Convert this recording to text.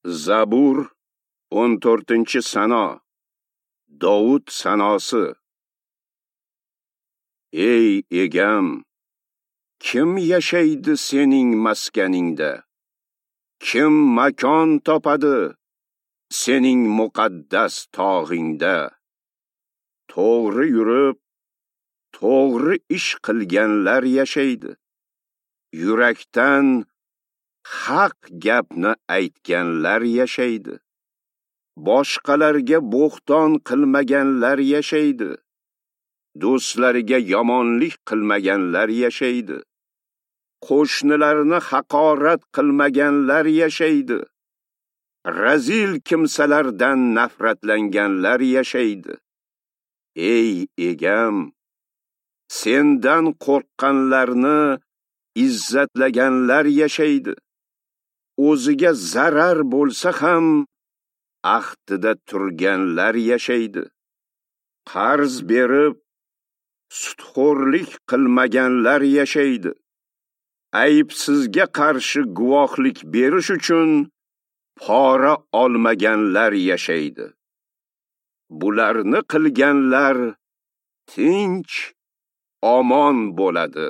Zabur 14-sano. Dovud sanosi. Ey egam, kim yashaydi sening maskaningda? Kim makon topadi sening muqaddas tog'ingda? To'g'ri yurib, to'g'ri ish qilganlar yashaydi. Yurakdan haq gapni aytganlar yashaydi. Boshqalarga bo'xton qilmaganlar yashaydi. Do'stlariga yomonlik qilmaganlar yashaydi. Qo'shnilarini haqorat qilmaganlar yashaydi. Razil kimsalardan nafratlanganlar yashaydi. Ey egam, sendan qo'rqqanlarni izzatlaganlar yashaydi. O'ziga zarar bo'lsa ham ahdida turganlar yashaydi. Qarz berib sudxo'rlik qilmaganlar yashaydi. Aybsizga qarshi guvohlik berish uchun pora olmaganlar yashaydi. Bularni qilganlar tinch, omon bo'ladi.